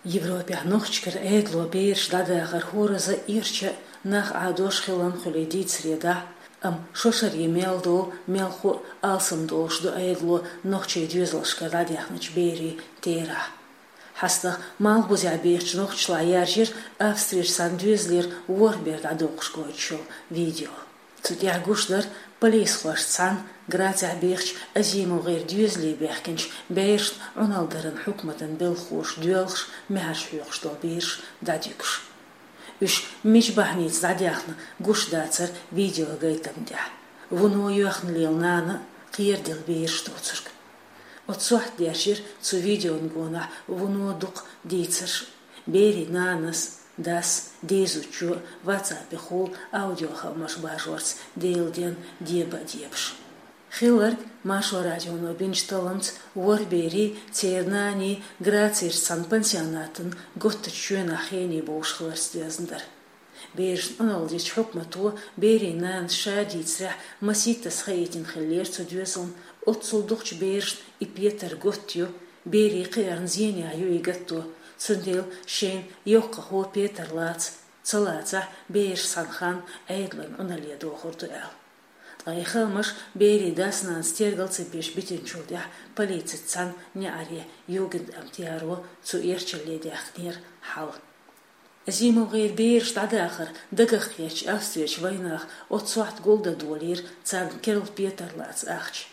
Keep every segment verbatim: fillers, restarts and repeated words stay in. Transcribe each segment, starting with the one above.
Европехь нохчашкара Ӏедало бераш дӀадахар хӀораза а, эрча а нах Ӏадош хилан хуьлий дийцаре дахьа, амма шо шарахь мел долу, мел хуу а алсам долуш ду Ӏедало нохчийн доьзалшкара дӀадаьхначу берийн терахь. ХьастагӀа Малхбузехь бехачу нохчашлахь яржира Австрерчу цхьана доьзалера ворхӀ бер дӀадоккхуш гойтуш йолу видео. Цу тӀехь гуш дара полисхошца цхьаьна Грацехь бехачу Азимовгеран доьзале баьхкинчу берашна Ӏуналла даран хьукматан белхахоша доьлхуш, маьхьарш хьоькхуш долу бераш дӀадуьгуш. Уьш мича бахьаница дӀадаьхна гуш дацара видеогайтам тӀехь. Вуно йоьхна лела нана а, кхераделла бераш доцург. Оцу сохьта дерзийра цу видеон гонахь вуно дукха дийцарш а, берийн нанас, дас, дезачо ватсапехула аудиохаамаш бажорца Делан денна деба а дебаш. Хилларг, Маршо радионо бинчу талламца, ворхӀ берийн, церан нанийн Грацерчу цхьана пансионатан готтачу чоьнахь хене бовш хиларца доьзна дара. Берашна Ӏуналла дечу хьукмато берийн нанас ша дийцарехь масийттаза хаийтина хиллера цу доьзална, оццул дукхачу берашна и петар готта ю, берийн кхиарна зенехь ю и гатто, цундела шайна йоккхахо петар лаца, ца лацахь, бераш цхьана ханна Ӏедалан Ӏуналле дохур ду аьлла. Ткъа и хаамаш берийн дас-нанас тергал ца беш битинчул тӀаьхьа полицица цхьаьна неӀаре югентамт яро цу эрчалле даьхкинера хьал. Азимовгеран бераш дӀадахар дагах кхеттачу Австрерчу вайнаха оццу сохьта гулдан долийра царна керла петар лаца ахча.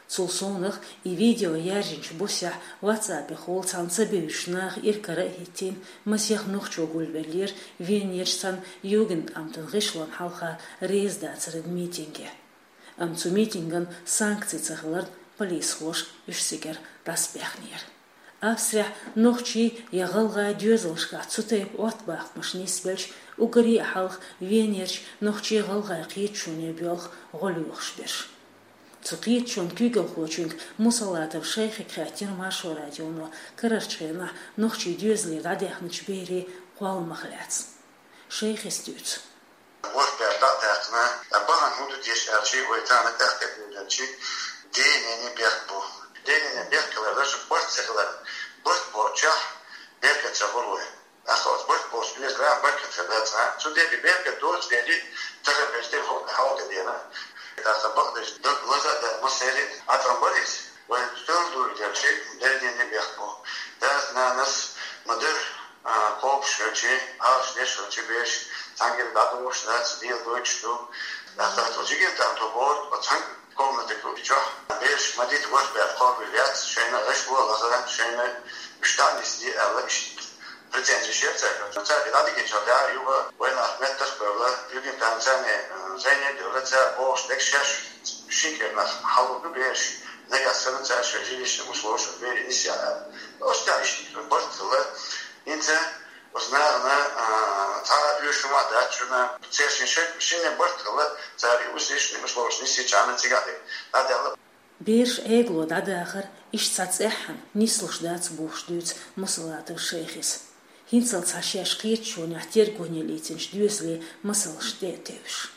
Цул совнаха и видео яьржинчу буьсехь ватсапехула цхьана ца бевзачу наха иракара а хӀиттийна, масех нохчо гулвеллера Венерчу цхьана югентамтан гӀишлон хьалха реза дацаран митинге. Амма цу митинган санкци ца хиларна, полисхоша уьш цигара дӀасабаьхнера. Австрехь нохчийн я гӀалгӀайн доьзалшкахь цу тайпа Ӏоттабахамаш нисбелча, уггаре а хьалха Венерчу нохчийн-гӀалгӀайн кхеташоне боьлху гӀо лоьхуш берш. Цу кхеташонан куьйгалхочуьнга Мусалатов Шайхига хаьттира Маршо радионо карарчу хенахь нохчийн доьзалера дӀадаьхначу берийн кхолламах лаьцна. Шайхис дуьйцу. ВорхӀ бер дӀа а даьккхина, бахьана хӀун ду теша аьлча, вай тахана тӀехь тӀе а дуьйладелча, денене бехк бу. Денене бехк хилар, барт ца хилар, барт боцчохь беркат ца хуьлу вай. ТӀаккха оцу барт боцу доьзалехь беркат хир дац, а? Цундела и беркат доцу дела, тахана берш тӀе хӀаллакдина. ТӀаккха бакъдерг дог лаза а даьлла, массеран а тӀом бара иза. Вайн стол дуьйладелча, денене бехк бу. Дас-нанас ма-дарра, а, кхобуш хилча, Ӏалашдеш хилча бераш, цхьаьнгара дӀадохуш дац, дела дойтуш ду. ТӀаккха оцу югентамто боху, оцу цхьана комнатехь хӀуттучохь бераш ма-дитта ворхӀ бер кхобур яц, шайна гӀишло лазар, шайна уьш дӀа а нисде аьлла, иштта претензеш яра цаьрга. Цаьрга дӀадигинчул тӀаьхьа юха вайнах меттах а бевлла, югентамтца, э, зӀене а девлла, цара бохуш дерг шаьш шин кӀирнах хьалур ду бераш, нагахь санна цара шайн жилищный условиеш берийн нисъян аьлла. Оцу тӀехь иштта барт хилла. ХӀинца оцу нахана, а, цхьа а оьшуш хӀума дац шуна, церан шин шайн, шинне барт хилла, цара и ус, ишни условиеш нисйича, цигахь дерг дӀадаьлла. Бераш Ӏедало дӀадахар иштта цхьа цӀеххьана нислуш дац бохуш дуьйцу Мусалатов Шайхис. ХӀинццалц цхьа шаьш кхеташонехь тергоне лецначу доьзале масалш тӀе а тевжаш.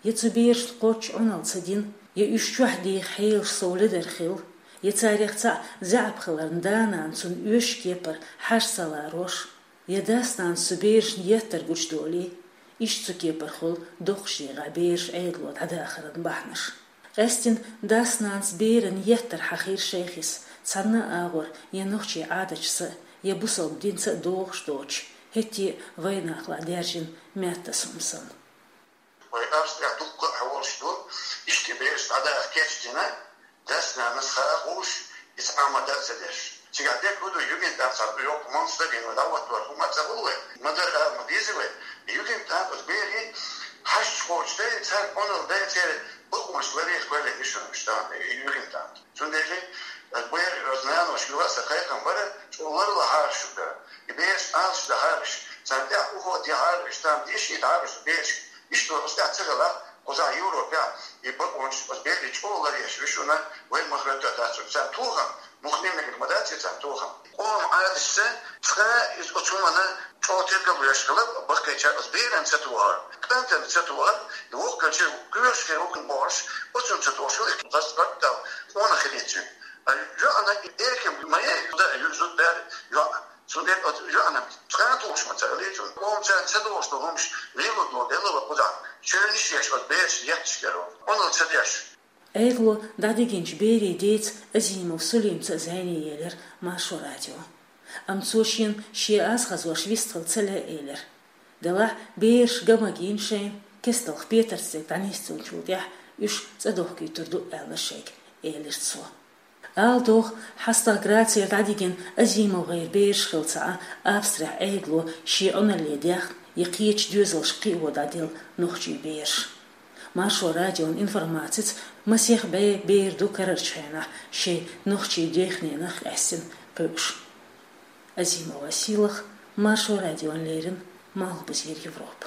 Я цу берашна кхоччуш Ӏуналла ца дина, я уьш чохь деха хьелаш сов ледара хилла, я царех цхьаъ заьӀап хиларна, да-нана цунна оьшучу кепара хьажа ца ларош, я дас-нанас цу берашна еттар гучудолий, иштта цу кепара хуьлу доккхачу декъехь бераш Ӏедало дӀадахаран бахьанаш. Къаьстина дас-нанас берана еттар хьахийра Шайхис, цхьанна а агӀор я нохчийн Ӏадаташца а, я бусалба динца а догӀуш доцуш, хӀетте а вайнахалахь даьржина маьттас хӀума санна. Вай Австрехь дуккха а хьан волуш ду, иштта бераш дӀадаха кечдина, дас-нанас хаа а хууш, иза Ӏама дан а ца деш. Цигахь дерг хӀун ду, югентамт цхьа йоккха малсдагина вай дӀахӀоттор хӀума ца хуьлу вай, ма-дарра ала ма деза вай. Югентамт оцу берийн хьашташ кхочуш дай, царна Ӏуналла дай, церан бакъонаш ларъеш кхоьллина ю шуна уьш тахана, югентамт. Цундела, э, бер оцу наноша юха а сан кхайкхам бара, чӀогӀа ларлахьара шуьга. И бераш Ӏалашдахьара уьш, царна тӀехь ухо а дехьара уьш, там дешнедахьара уьш берашка. Иштта оцу тӀехь ца хилахь, кхузахь Европехь и бакъонаш оцу берийн чӀогӀа ларъеш ю шуна, вай ма-хӀоьтту дац уьш. Царна тохам, мухне мегар ма дац и царна тохам. Къоман Ӏадаташца цкъа а иза оцу хӀуманна чӀогӀа тергал еш хилар, баккхийчара оцу берана ца тохар, кӀантана ца тохар, и воккхачу кхоьруш хир ву бохуш, оцунна ца тохуш хилар, хаза баттал къонах хилийта цуьнан. А йоӀана и эркам ма яй, зуда а ю, зуда бер йоӀ. Цу ден оцу жоьнам цкъа а тулуш ма ца хилийта. Оцу царна ца долуш ду хӀумаш лело долу, делла ван кхузахь. Шоьнаш еш оцу бераш етташ дара. Оно ца деш. Ӏегало дӀадигинчу берийн деца Азимов Сулимца а зӀене елира Маршо радио. Амма цо шена шен аз хазош вистхила ца лаьа элира. Делахь бераш ган магийна шайна, кесталх петарца дӀанисдинчул тӀаьхьа уьш цӀа дохкуьйтур ду аьлла шайга, элира цо. Ала догӀу, хьастагӀа Грацера дӀадигина АзимовгӀеран бераш хилла ца Ӏа Австрехь Ӏегало шен Ӏуналле даьхна я кхечу доьзалшка кхио дӀаделла нохчийн бераш. Маршо радион информацица, масех бӀе бер ду карарчу хенахь шайн нохчийн дехненах къаьстина кхуьуш. Азимова Сийлаха, Маршо радиона леррина, Малхбузера Европа.